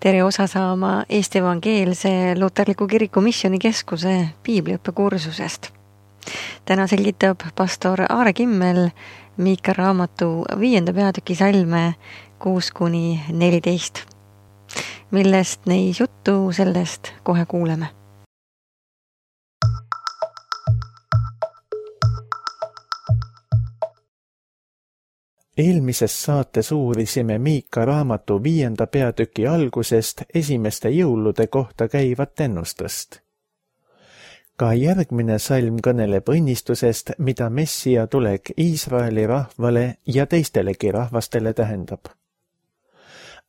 tere osa saama Eesti Evangeelse Luterliku Kiriku Missioonikeskuse piibliõppekursusest. Täna selgitab pastor Aare Kimmel Miika raamatu 5. peatüki salme 6-14. Millest neis juttu, sellest kohe kuuleme. Eelmises saates uurisime Miika raamatu 5. peatüki algusest esimeste jõulude kohta käivat ennustust. Ka järgmine salm kõneleb õnnistusest, mida Messia tulek Iisraeli rahvale ja teistelegi rahvastele tähendab.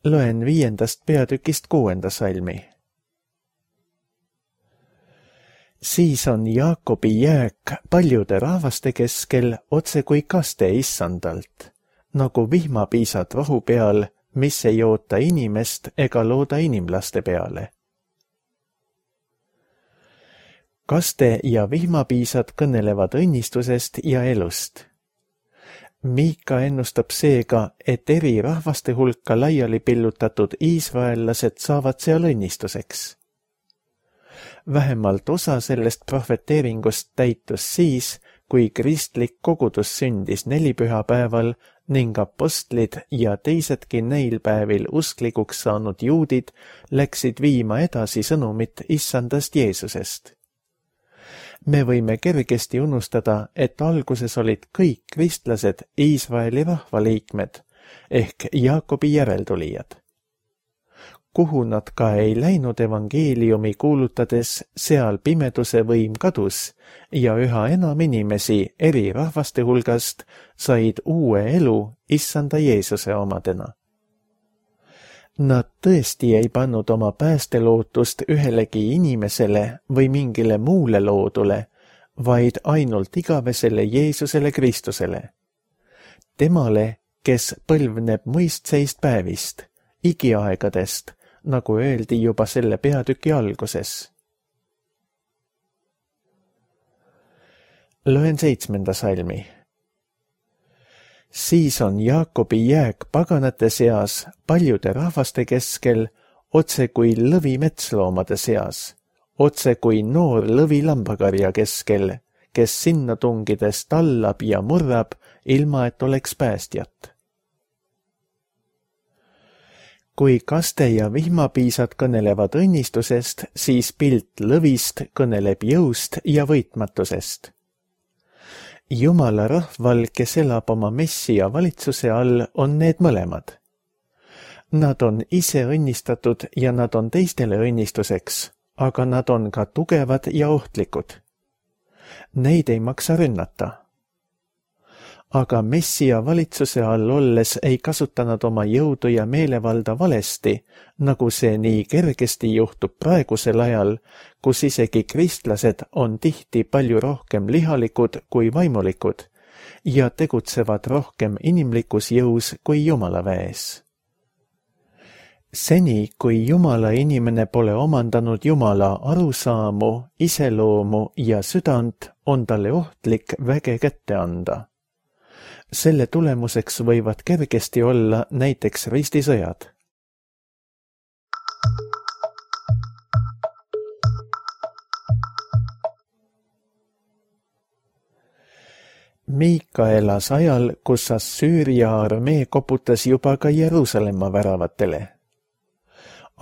Loen 5. peatükist 6. salmi. Siis on Jaakobi jääk paljude rahvaste keskel otse kui kaste issandalt, nagu vihmapiisad rohu peal, mis ei oota inimest ega looda inimlaste peale. Kaste ja vihmapiisad kõnelevad õnnistusest ja elust. Miika ennustab seega, et eri rahvaste hulka laiali pillutatud iisraellased saavad seal õnnistuseks. Vähemalt osa sellest prohveteeringust täitus siis, kui kristlik kogudus sündis nelipühapäeval ning apostlid ja teisedki neil päevil usklikuks saanud juudid läksid viima edasi sõnumit issandast Jeesusest. Me võime kergesti unustada, et alguses olid kõik kristlased Iisraeli rahvaliikmed ehk Jaakobi järeltulijad. Kuhu nad ka ei läinud evangeeliumi kuulutades, seal pimeduse võim kadus ja üha enam inimesi eri rahvaste hulgast said uue elu issanda Jeesuse omadena. Nad tõesti ei pannud oma päästelootust ühelegi inimesele või mingile muule loodule, vaid ainult igavesele Jeesusele Kristusele. Temale, kes põlvneb muistseist päevist, igiaegadest, nagu öeldi juba selle peatüki alguses. Loen 7. salmi. Siis on Jaakobi jääk paganate seas paljude rahvaste keskel, otse kui lõvi metsloomade seas, otse kui noor lõvi lambakarja keskel, kes sinna tungides tallab ja murrab, ilma et oleks päästjat. Kui kaste ja vihmapiisad kõnelevad õnnistusest, siis pilt lõvist kõneleb jõust ja võitmatusest. Jumala rahval, kes elab oma Messia valitsuse all, on need mõlemad. Nad on ise õnnistatud ja nad on teistele õnnistuseks, aga nad on ka tugevad ja ohtlikud. Neid ei maksa rünnata. Aga Messia valitsuse all olles ei kasuta nad oma jõudu ja meelevalda valesti, nagu see nii kergesti juhtub praegusel ajal, kus isegi kristlased on tihti palju rohkem lihalikud kui vaimulikud ja tegutsevad rohkem inimlikus jõus kui Jumala väes. Seni, kui Jumala inimene pole omandanud Jumala arusaamu, iseloomu ja südant, on talle ohtlik väge kätte anda. Selle tulemuseks võivad kergesti olla näiteks ristisõjad. Miika elas ajal, kus Assüüria armee koputas juba ka Jeruusalemma väravatele.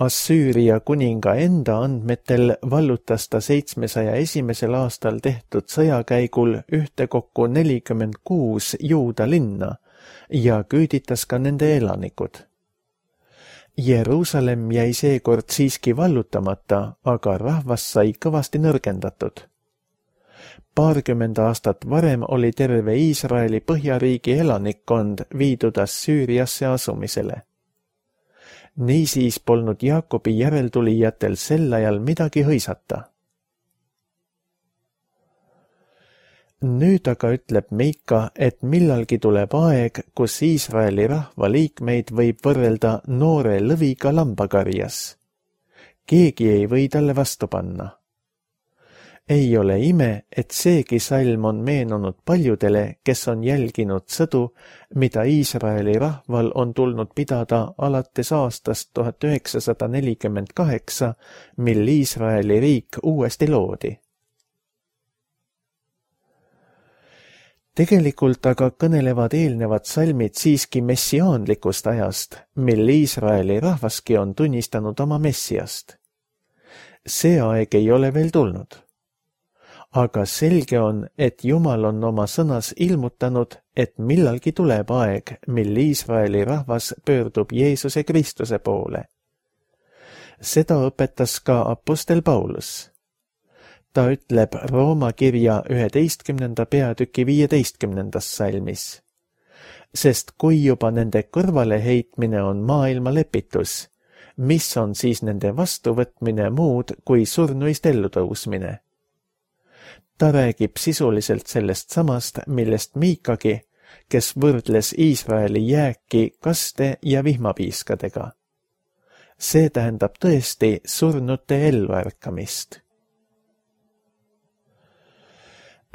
Assüüria kuninga enda andmetel vallutas ta 701. aastal tehtud sõjakäigul ühtekokku 46 juuda linna ja küüditas ka nende elanikud. Jeruusalemm jäi seekord siiski vallutamata, aga rahvas sai kõvasti nõrgendatud. 20 aastat varem oli terve Iisraeli põhjariigi elanikkond viidud Assüüriasse asumisele. Niisiis polnud Jaakobi järeltulijatel sel ajal midagi hõisata. Nüüd aga ütleb Miika, et millalgi tuleb aeg, kus Iisraeli rahva liikmeid võib võrrelda noore lõviga lambakarjas. Keegi ei või talle vastu panna. Ei ole ime, et seegi salm on meenunud paljudele, kes on jälginud sõdu, mida Iisraeli rahval on tulnud pidada alates aastast 1948, mil Iisraeli riik uuesti loodi. Tegelikult aga kõnelevad eelnevad salmid siiski messiaanlikust ajast, mil Iisraeli rahvaski on tunnistanud oma messiast. See aeg ei ole veel tulnud. Aga selge on, et Jumal on oma sõnas ilmutanud, et millalgi tuleb aeg, mil Iisraeli rahvas pöördub Jeesuse Kristuse poole. Seda õpetas ka apostel Paulus. Ta ütleb Rooma kirja 11. peatüki 15. salmis. Sest kui juba nende kõrvaleheitmine on maailma lepitus, mis on siis nende vastuvõtmine muud kui surnuist ellutõusmine? Ta räägib sisuliselt sellest samast, millest Miikagi, kes võrdles Iisraeli jääki kaste ja vihmapiiskadega. See tähendab tõesti surnute elluärkamist.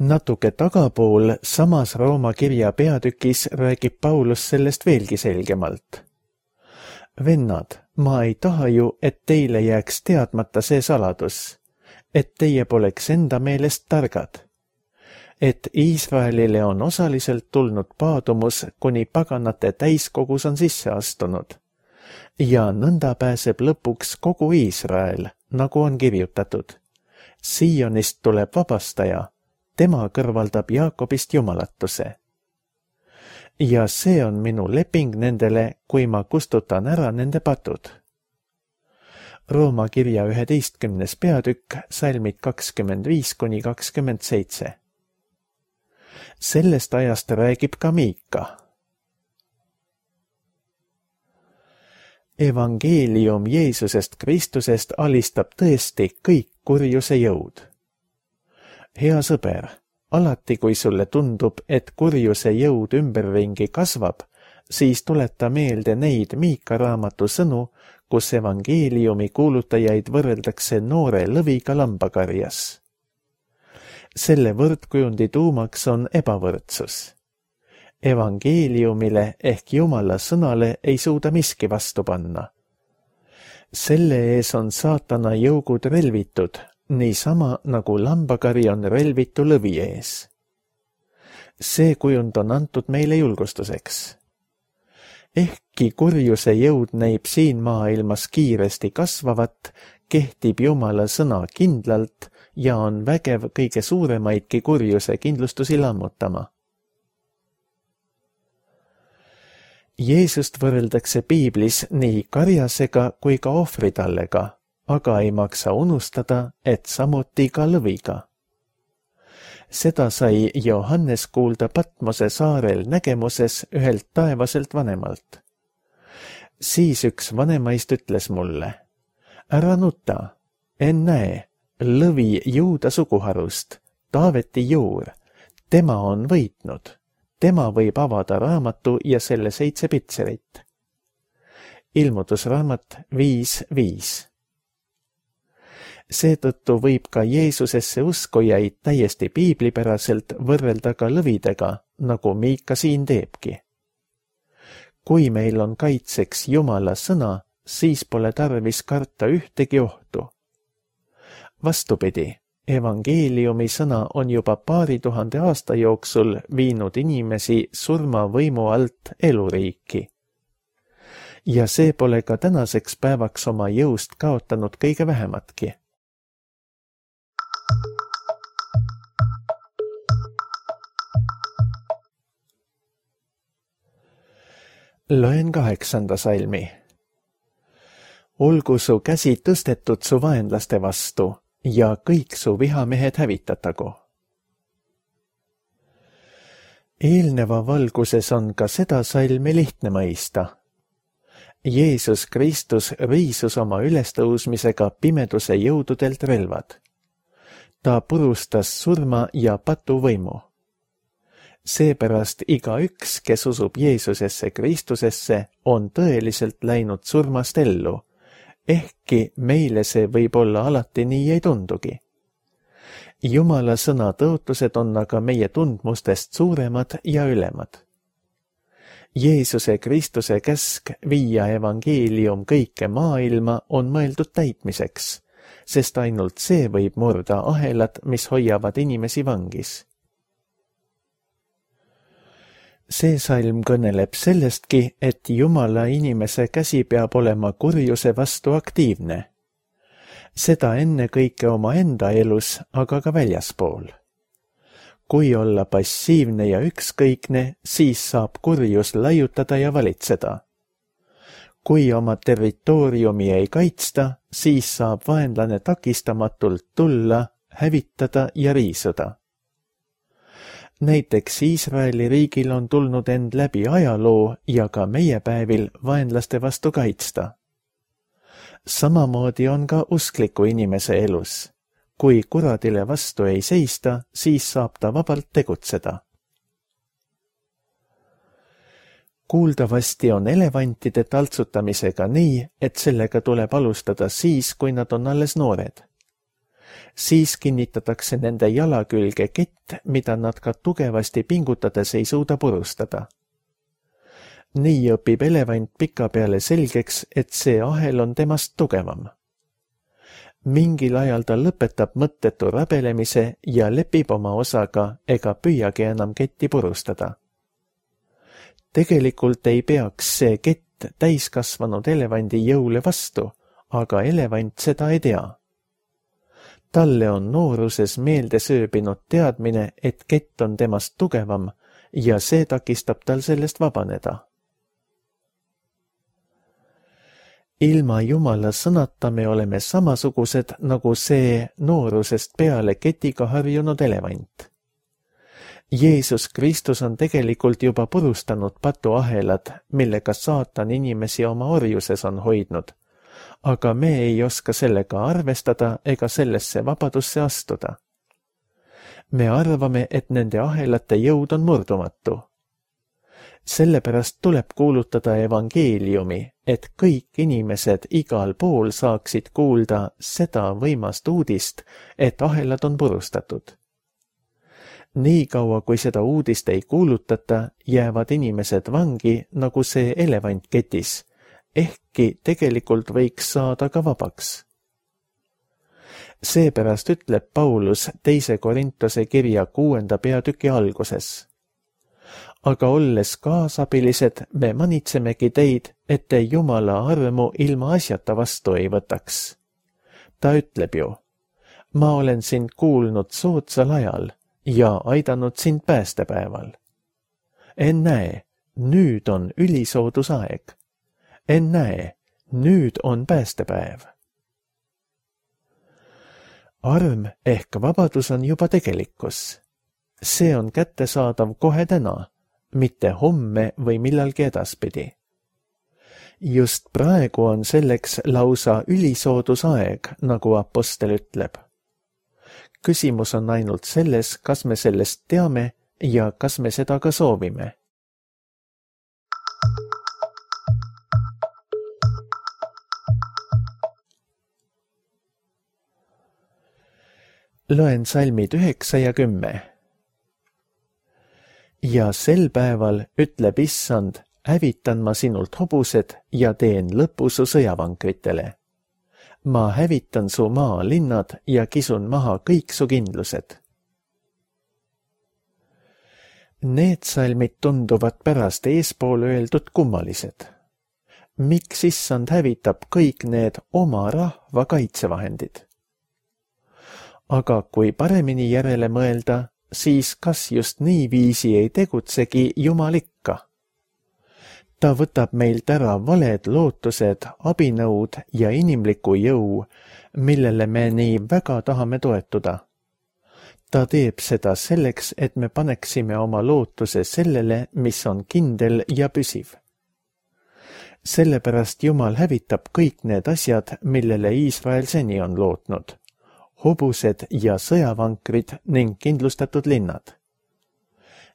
Natuke tagapool samas Rooma kirja peatükis räägib Paulus sellest veelgi selgemalt. Vennad, ma ei taha ju, et teile jääks teadmata see saladus, et teie poleks enda meelest targad, et Iisraelile on osaliselt tulnud paadumus, kuni paganate täiskogus on sisse astunud, ja nõnda pääseb lõpuks kogu Iisrael, nagu on kirjutatud. Siionist tuleb vabastaja, tema kõrvaldab Jaakobist jumalatuse. Ja see on minu leping nendele, kui ma kustutan ära nende patud. Rooma kirja 11. peatükk, salmid 25–27. Sellest ajast räägib ka Miika. Evangeelium Jeesusest Kristusest alistab tõesti kõik kurjuse jõud. Hea sõber, alati kui sulle tundub, et kurjuse jõud ümberringi kasvab, siis tuleta meelde neid Miika raamatu sõnu, kus evangeeliumi kuulutajaid võrreldakse noore lõviga lambakarjas. Selle võrdkujundi tuumaks on ebavõrdsus. Evangeeliumile ehk Jumala sõnale ei suuda miski vastu panna. Selle ees on saatana jõugud relvitud, niisama nagu lambakari on relvitu lõvi ees. See kujund on antud meile julgustuseks. Ehkki kurjuse jõud näib siin maailmas kiiresti kasvavat, kehtib Jumala sõna kindlalt ja on vägev kõige suuremaidki kurjuse kindlustusi lammutama. Jeesust võrreldakse piiblis nii karjasega kui ka ohvritallega, aga ei maksa unustada, et samuti ka lõviga. Seda sai Johannes kuulda Patmose saarel nägemuses ühelt taevaselt vanemalt. Siis üks vanemaist ütles mulle, ära nuta, ennäe, lõvi Juuda suguharust, Taaveti juur, tema on võitnud, tema võib avada raamatu ja selle 7 pitserit. Ilmutusraamat 5.5. Seetõttu võib ka Jeesusesse uskujaid täiesti piiblipäraselt võrrelda ka lõvidega, nagu Miika siin teebki. Kui meil on kaitseks Jumala sõna, siis pole tarvis karta ühtegi ohtu. Vastupidi, evangeeliumi sõna on juba 2000 aasta jooksul viinud inimesi surmavõimu alt eluriiki. Ja see pole ka tänaseks päevaks oma jõust kaotanud kõige vähematki. Loen 8. salmi. Olgu su käsi tõstetud su vaenlaste vastu ja kõik su vihamehed hävitatagu. Eelneva valguses on ka seda salmi lihtne mõista. Jeesus Kristus riisus oma ülestõusmisega pimeduse jõududelt relvad. Ta purustas surma ja patuvõimu. Seepärast igaüks, kes usub Jeesusesse Kristusesse, on tõeliselt läinud surmast ellu, ehkki meile see võib olla alati nii ei tundugi. Jumala sõna tõotused on aga meie tundmustest suuremad ja ülemad. Jeesuse Kristuse käsk viia evangeelium kõike maailma on mõeldud täitmiseks, sest ainult see võib murda ahelad, mis hoiavad inimesi vangis. See salm kõneleb sellestki, et Jumala inimese käsi peab olema kurjuse vastu aktiivne. Seda ennekõike omaenda elus, aga ka väljaspool. Kui olla passiivne ja ükskõikne, siis saab kurjus laiutada ja valitseda. Kui oma territooriumi ei kaitsta, siis saab vaenlane takistamatult tulla, hävitada ja riisuda. Näiteks Iisraeli riigil on tulnud end läbi ajaloo ja ka meie päevil vaenlaste vastu kaitsta. Samamoodi on ka uskliku inimese elus. Kui kuradile vastu ei seista, siis saab ta vabalt tegutseda. Kuuldavasti on elevantide taltsutamisega nii, et sellega tuleb alustada siis, kui nad on alles noored. Siis kinnitatakse nende jala külge kett, mida nad ka tugevasti pingutades ei suuda purustada. Nii õpib elevant pikapeale selgeks, et see ahel on temast tugevam. Mingil ajal ta lõpetab mõttetu rabelemise ja lepib oma osaga ega püüagi enam ketti purustada. Tegelikult ei peaks see kett täiskasvanud elevandi jõule vastu, aga elevant seda ei tea. Talle on nooruses meelde sööbinud teadmine, et kett on temast tugevam ja see takistab tal sellest vabaneda. Ilma Jumala sõnata me oleme samasugused nagu see noorusest peale ketiga harjunud elevant. Jeesus Kristus on tegelikult juba purustanud patuahelad, millega saatan inimesi oma orjuses on hoidnud, aga me ei oska sellega arvestada ega sellesse vabadusse astuda. Me arvame, et nende ahelate jõud on murdumatu. Sellepärast tuleb kuulutada evangeeliumi, et kõik inimesed igal pool saaksid kuulda seda võimast uudist, et ahelad on purustatud. Nii kaua, kui seda uudist ei kuulutata, jäävad inimesed vangi nagu see elevant ketis, ehkki tegelikult võiks saada ka vabaks. Seepärast ütleb Paulus 2. Korintuse kirja 6. peatüki alguses. Aga olles kaasabilised, me manitsemegi teid, et te Jumala armu ilma asjata vastu ei võtaks. Ta ütleb ju, ma olen sind kuulnud soodsal ajal ja aidanud sind päästepäeval. Ennäe, nüüd on ülisoodusaeg. Ennäe, nüüd on päästepäev. Arm ehk vabadus on juba tegelikkus. See on kättesaadav kohe täna, mitte homme või millalgi edaspidi. Just praegu on selleks lausa ülisoodusaeg, nagu apostel ütleb. Küsimus on ainult selles, kas me sellest teame ja kas me seda ka soovime. Loen salmid 9 ja 10. Ja sel päeval ütleb Issand, hävitan ma sinult hobused ja teen lõpu su sõjavankritele. Ma hävitan su maalinnad ja kisun maha kõik su kindlused. Need salmid tunduvad pärast eespool öeldud kummalised. Miks Issand hävitab kõik need oma rahva kaitsevahendid? Aga kui paremini järele mõelda, siis kas just niiviisi ei tegutsegi Jumal ikka? Ta võtab meilt ära valed lootused, abinõud ja inimliku jõu, millele me nii väga tahame toetuda. Ta teeb seda selleks, et me paneksime oma lootuse sellele, mis on kindel ja püsiv. Sellepärast Jumal hävitab kõik need asjad, millele Iisrael seni on lootnud. Hobused ja sõjavankrid ning kindlustatud linnad.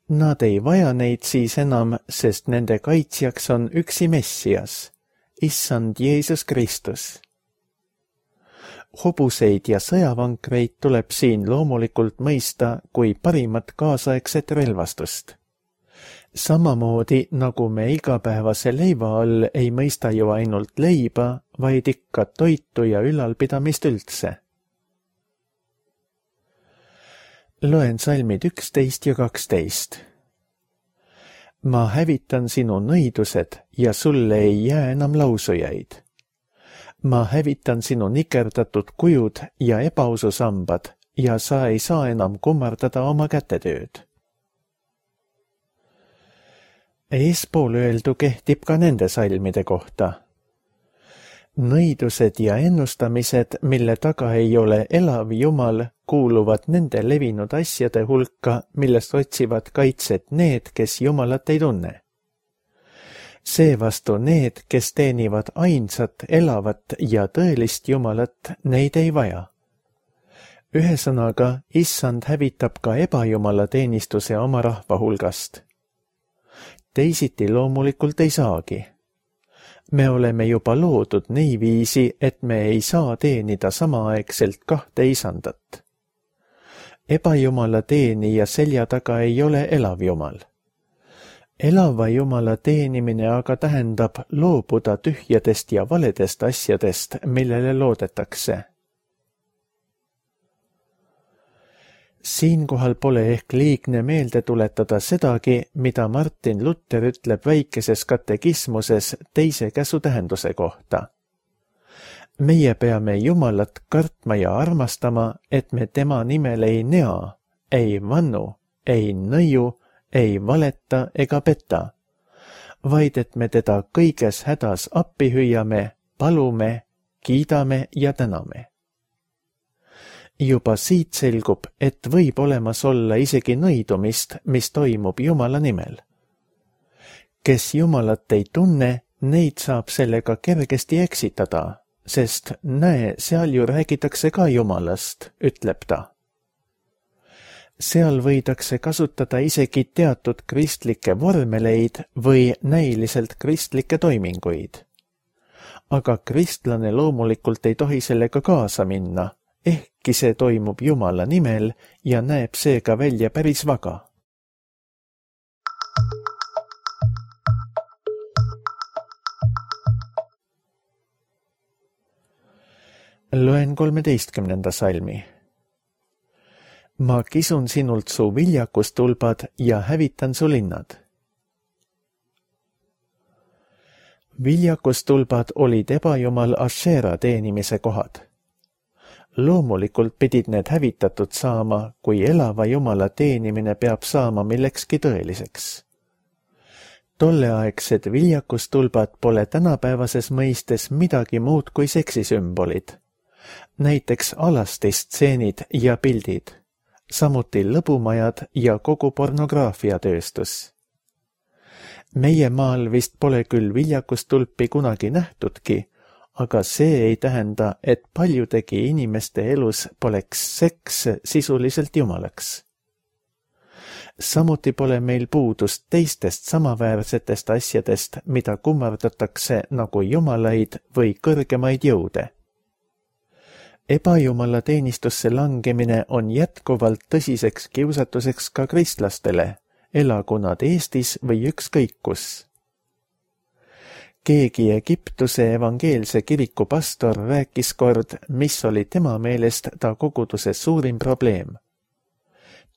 Nad ei vaja neid siis enam, sest nende kaitsjaks on üksi Messias, Issand Jeesus Kristus. Hobuseid ja sõjavankreid tuleb siin loomulikult mõista kui parimat kaasaegset relvastust. Samamoodi nagu me igapäevase leiva all ei mõista ju ainult leiba, vaid ikka toitu ja ülalpidamist üldse. Loen salmid 11 ja 12. Ma hävitan sinu nõidused ja sulle ei jää enam lausujaid. Ma hävitan sinu nikerdatud kujud ja ebaususambad ja sa ei saa enam kummardada oma kätetööd. Eespool öeldu kehtib ka nende salmide kohta. Nõidused ja ennustamised, mille taga ei ole elav Jumal, kuuluvad nende levinud asjade hulka, millest otsivad kaitset need, kes Jumalat ei tunne. Seevastu need, kes teenivad ainsat, elavat ja tõelist Jumalat, neid ei vaja. Ühesõnaga, Issand hävitab ka ebajumala teenistuse oma rahva hulgast. Teisiti loomulikult ei saagi. Me oleme juba loodud niiviisi, et me ei saa teenida samaaegselt kahte isandat. Ebajumala teenija selja taga ei ole elav Jumal. Elava Jumala teenimine aga tähendab loobuda tühjadest ja valedest asjadest, millele loodetakse. Siinkohal pole ehk liigne meelde tuletada sedagi, mida Martin Luther ütleb väikeses katekismuses teise käsu tähenduse kohta. Meie peame Jumalat kartma ja armastama, et me tema nimel ei nea, ei vannu, ei nõiu, ei valeta ega peta, vaid et me teda kõiges hädas appi hüüame, palume, kiidame ja täname. Juba siit selgub, et võib olemas olla isegi nõidumist, mis toimub Jumala nimel. Kes Jumalat ei tunne, neid saab sellega kergesti eksitada, sest näe, seal ju räägitakse ka Jumalast, ütleb ta. Seal võidakse kasutada isegi teatud kristlikke vormeleid või näiliselt kristlikke toiminguid. Aga kristlane loomulikult ei tohi sellega kaasa minna, ehkki see toimub Jumala nimel ja näeb seega välja päris vaga. Loen 13. salmi. Ma kisun sinult su viljakustulbad ja hävitan su linnad. Viljakustulbad olid ebajumal Ashera teenimise kohad. Loomulikult pidid need hävitatud saama, kui elava Jumala teenimine peab saama millekski tõeliseks. Tolleaegsed viljakustulbad pole tänapäevases mõistes midagi muud kui seksisümbolid, näiteks alastistseenid ja pildid, samuti lõbumajad ja kogu pornograafiatööstus. Meie maal vist pole küll viljakustulpi kunagi nähtudki, aga see ei tähenda, et paljudegi inimeste elus poleks seks sisuliselt jumalaks. Samuti pole meil puudust teistest samaväärsetest asjadest, mida kummardatakse nagu jumalaid või kõrgemaid jõude. Ebajumala teenistusse langemine on jätkuvalt tõsiseks kiusatuseks ka kristlastele, elagu nad Eestis või ükskõik kus. Keegi Egiptuse evangeelse kiriku pastor rääkis kord, mis oli tema meelest ta koguduse suurim probleem.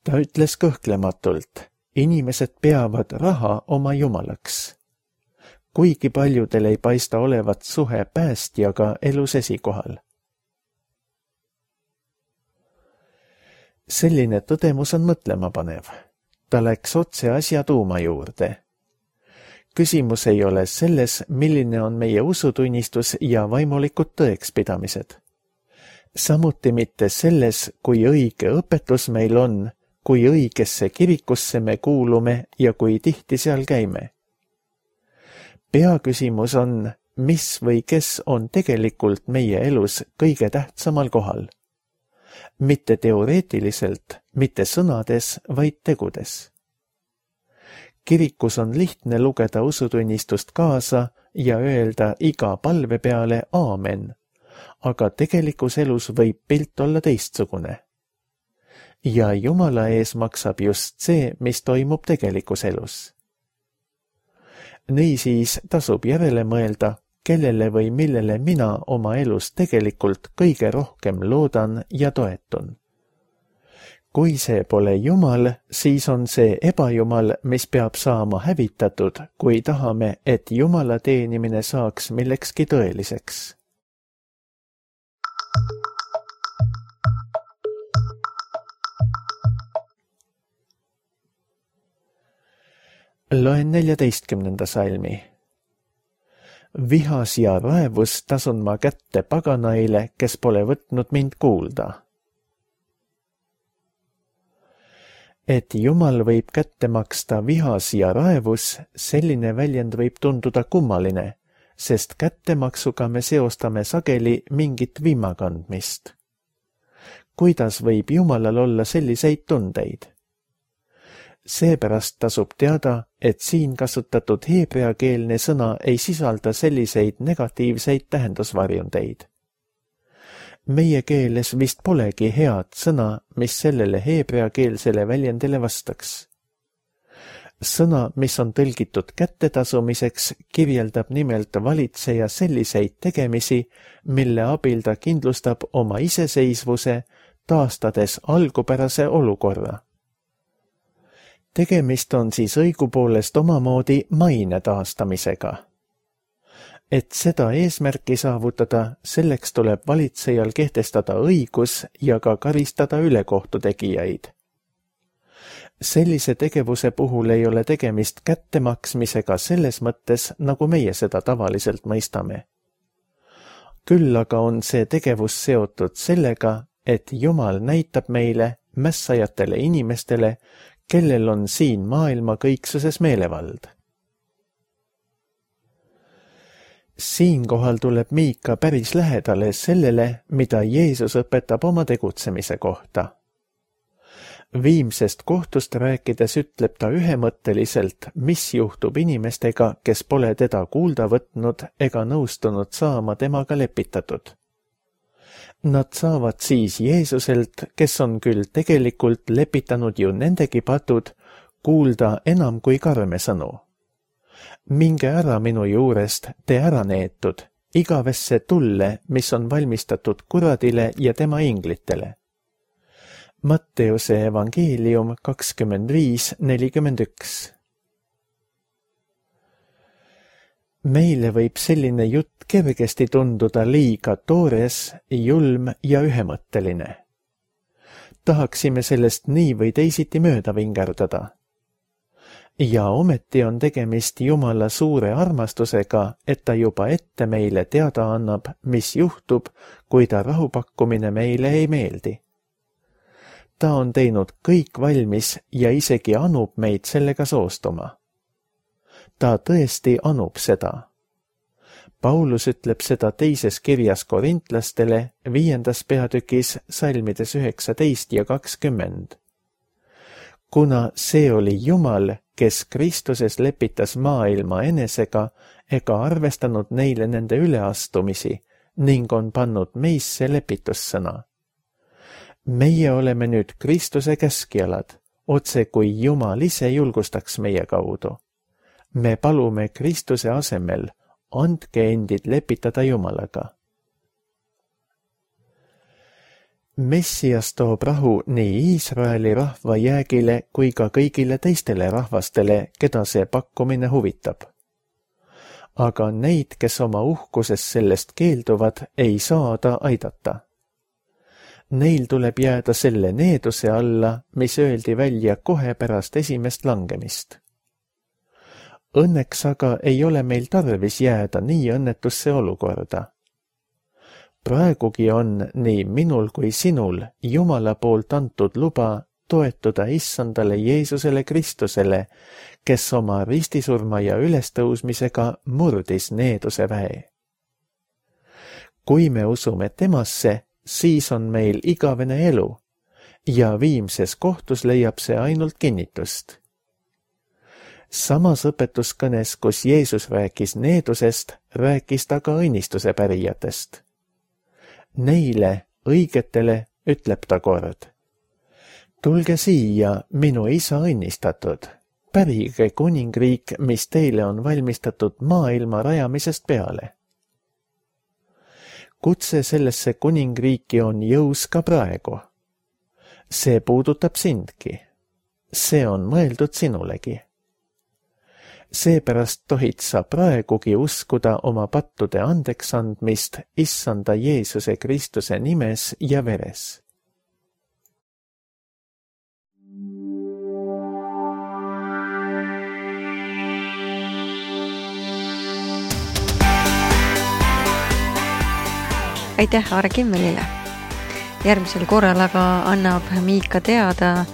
Ta ütles kõhklematult, inimesed peavad raha oma jumalaks. Kuigi paljudel ei paista olevat suhe päästjaga elus esikohal. Selline tõdemus on mõtlemapanev. Ta läks otse asja tuuma juurde. Küsimus ei ole selles, milline on meie usutunnistus ja vaimulikud tõekspidamised. Samuti mitte selles, kui õige õpetus meil on, kui õigesse kirikusse me kuulume ja kui tihti seal käime. Peaküsimus on, mis või kes on tegelikult meie elus kõige tähtsamal kohal. Mitte teoreetiliselt, mitte sõnades, vaid tegudes. Kirikus on lihtne lugeda usutunnistust kaasa ja öelda iga palve peale aamen, aga tegelikus elus võib pilt olla teistsugune. Ja Jumala ees maksab just see, mis toimub tegelikus elus. Niisiis tasub järele mõelda, kellele või millele mina oma elus tegelikult kõige rohkem loodan ja toetun. Kui see pole Jumal, siis on see ebajumal, mis peab saama hävitatud, kui tahame, et Jumala teenimine saaks millekski tõeliseks. Loen 14. salmi. Vihas ja raevus tasun ma kätte paganaile, kes pole võtnud mind kuulda. Et Jumal võib kätte maksta vihas ja raevus, selline väljend võib tunduda kummaline, sest kättemaksuga me seostame sageli mingit viimakandmist. Kuidas võib Jumalal olla selliseid tundeid? Seepärast tasub teada, et siin kasutatud heebreakeelne sõna ei sisalda selliseid negatiivseid tähendusvarjundeid. Meie keeles vist polegi head sõna, mis sellele heebreakeelsele väljendile vastaks. Sõna, mis on tõlgitud kättetasumiseks, kirjeldab nimelt valitseja selliseid tegemisi, mille abil ta kindlustab oma iseseisvuse, taastades algupärase olukorra. Tegemist on siis õigupoolest omamoodi maine taastamisega. Et seda eesmärki saavutada, selleks tuleb valitsejal kehtestada õigus ja ka karistada ülekohtu tegijaid. Sellise tegevuse puhul ei ole tegemist kättemaksmisega selles mõttes, nagu meie seda tavaliselt mõistame. Küll aga on see tegevus seotud sellega, et Jumal näitab meile, mässajatele inimestele, kellel on siin maailma kõiksuses meelevald. Siinkohal tuleb Miika päris lähedale sellele, mida Jeesus õpetab oma tegutsemise kohta. Viimsest kohtust rääkides ütleb ta ühemõtteliselt, mis juhtub inimestega, kes pole teda kuulda võtnud ega nõustunud saama temaga lepitatud. Nad saavad siis Jeesuselt, kes on küll tegelikult lepitanud ju nendegi patud, kuulda enam kui karme sõnu. Minge ära minu juurest, te ära neetud, igavesse tulle, mis on valmistatud kuradile ja tema inglitele. Matteuse evangeelium 25:41. Meile võib selline jutt kergesti tunduda liiga toores, julm ja ühemõtteline. Tahaksime sellest nii või teisiti mööda vingerdada. Ja ometi on tegemist Jumala suure armastusega, et ta juba ette meile teada annab, mis juhtub, kui ta rahupakkumine meile ei meeldi. Ta on teinud kõik valmis ja isegi anub meid sellega soostuma. Ta tõesti anub seda. Paulus ütleb seda teises kirjas korintlastele 5. peatükis salmides 19 ja 20. Kuna see oli Jumal, kes Kristuses lepitas maailma enesega ega arvestanud neile nende üleastumisi ning on pannud meisse lepitussõna. Meie oleme nüüd Kristuse käskjalad, otse kui Jumal ise julgustaks meie kaudu. Me palume Kristuse asemel, andke endid lepitada Jumalaga. Messias toob rahu nii Iisraeli rahva jäägile kui ka kõigile teistele rahvastele, keda see pakkumine huvitab. Aga neid, kes oma uhkuses sellest keelduvad, ei saa ta aidata. Neil tuleb jääda selle needuse alla, mis öeldi välja kohe pärast esimest langemist. Õnneks aga ei ole meil tarvis jääda nii õnnetusse olukorda. Praegugi on nii minul kui sinul Jumala poolt antud luba toetuda issandale Jeesusele Kristusele, kes oma ristisurma ja ülestõusmisega murdis needuse väe. Kui me usume temasse, siis on meil igavene elu ja viimses kohtus leiab see ainult kinnitust. Samas õpetuskõnes, kus Jeesus rääkis needusest, rääkis ta ka õnnistuse pärijatest. Neile õigetele ütleb ta kord: tulge siia, minu isa õnnistatud, pärige kuningriik, mis teile on valmistatud maailma rajamisest peale. Kutse sellesse kuningriiki on jõus ka praegu. See puudutab sindki. See on mõeldud sinulegi. Seepärast tohid sa praegugi uskuda oma pattude andeksandmist Issanda Jeesuse Kristuse nimes ja veres. Aitäh Aare Kimmelile. Järgmisel korral aga annab Miika teada,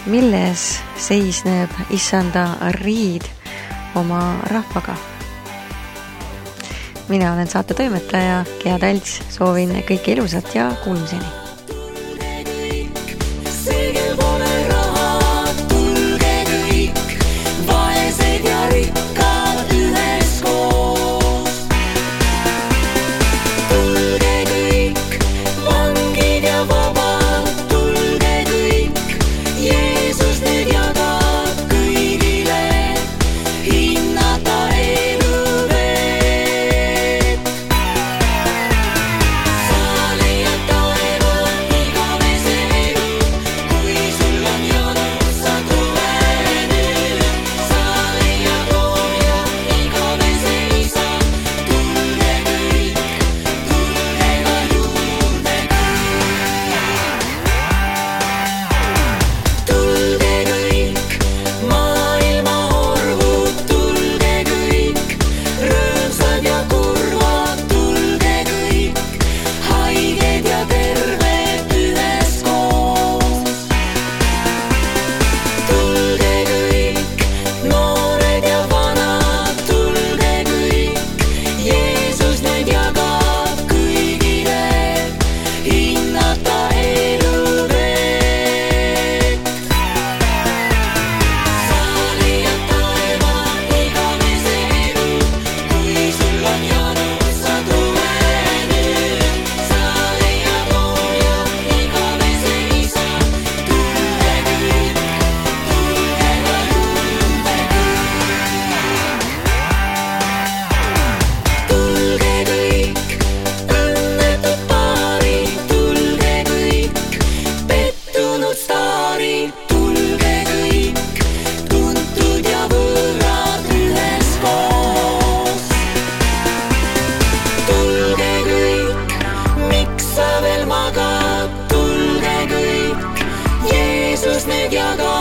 milles seisneb Issanda riid oma rahvaga. Mina olen saate toimetaja Gea Talts, soovin kõike ilusat ja kuulmiseni. Nüüd jaga